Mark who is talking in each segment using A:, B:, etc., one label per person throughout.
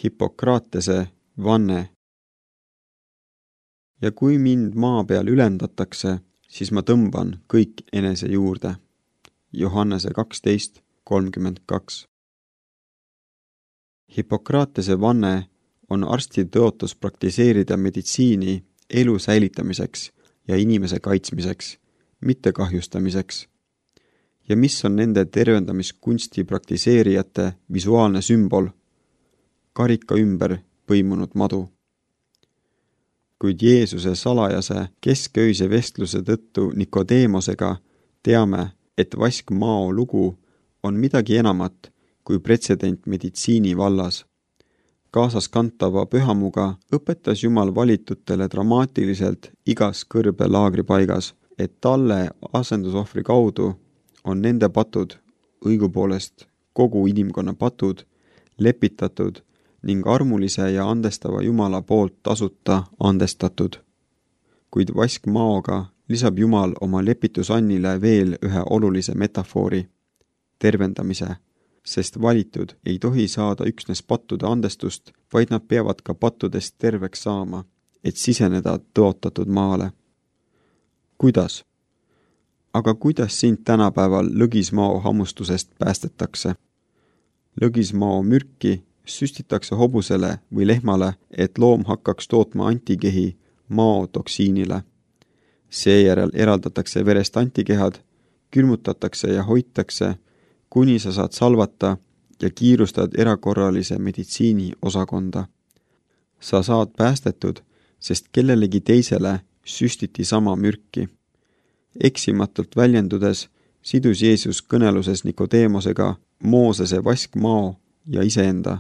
A: Hippokratese vanne. Ja kui mind maa peal ülendatakse, siis ma tõmban kõik enese juurde. Johannese 12:32. Hippokratese vanne on arsti tõotus praktiseerida meditsiini elu säilitamiseks ja inimese kaitsmiseks, mitte kahjustamiseks. Ja mis on nende tervendamiskunsti praktiseerijate visuaalne sümbol? Karika ümber põimunud madu. Kuid Jeesuse salajase kesköise vestluse tõttu Nikodeemosega teame, et vaskmao lugu on midagi enamat kui pretsedent meditsiini vallas. Kaasas kantava pühamuga õpetas Jumal valitutele dramaatiliselt igas kõrbe laagripaigas, et talle asendusohvri kaudu on nende patud, õigupoolest kogu inimkonna patud, lepitatud ning armulise ja andestava Jumala poolt tasuta andestatud. Kuid vaskmaoga lisab Jumal oma lepitusannile veel ühe olulise metafoori, tervendamise, sest valitud ei tohi saada üksnes pattude andestust, vaid nad peavad ka pattudest terveks saama, et siseneda tõotatud maale. Kuidas? Aga kuidas sind tänapäeval lõgismao hammustusest päästetakse? Lõgismao mürki süstitakse hobusele või lehmale, et loom hakkaks tootma antikehi maotoksiinile. Seejärel eraldatakse verest antikehad, külmutatakse ja hoitakse, kuni sa saad salvata ja kiirustad erakorralise meditsiini osakonda. Sa saad päästetud, sest kellelegi teisele süstiti sama mürki. Eksimatult väljendudes sidus Jeesus kõneluses Nikodeemosega Moosese vaskmao ja iseenda,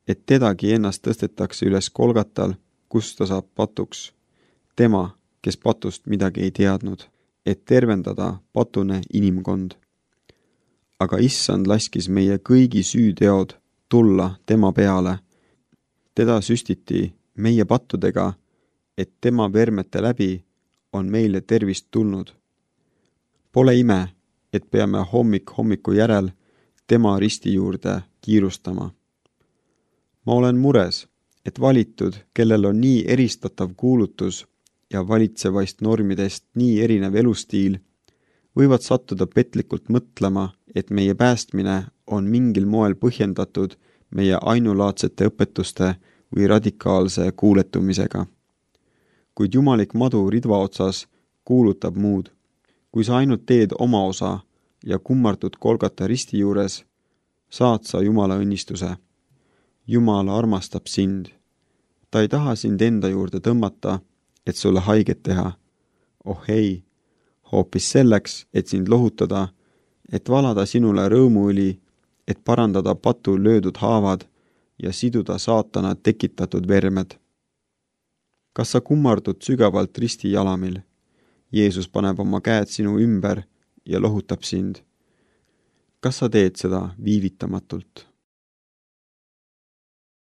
A: et tedagi ennast tõstetakse üles Kolgatal, kus ta saab patuks. Tema, kes patust midagi ei teadnud, et tervendada patune inimkond. Aga issand laskis meie kõigi süüteod tulla tema peale. Teda süstiti meie pattudega, et tema vermete läbi on meile tervist tulnud. Pole ime, et peame hommiku järel tema risti juurde kiirustama. Ma olen mures, et valitud, kellel on nii eristatav kuulutus ja valitsevaist normidest nii erinev elustiil, võivad sattuda petlikult mõtlema, et meie päästmine on mingil moel põhjendatud meie ainulaadsete õpetuste või radikaalse kuuletumisega. Kuid jumalik madu ridva otsas kuulutab muud. Kui sa ainult teed oma osa ja kummardud Kolgata risti juures, saad sa Jumala õnnistuse. Jumal armastab sind. Ta ei taha sind enda juurde tõmmata, et sulle haiget teha. Oh ei, hoopis selleks, et sind lohutada, et valada sinule rõõmuõli, et parandada patu löödud haavad ja siduda saatana tekitatud vermed. Kas sa kummardud sügavalt risti jalamil? Jeesus paneb oma käed sinu ümber ja lohutab sind. Kas sa teed seda viivitamatult?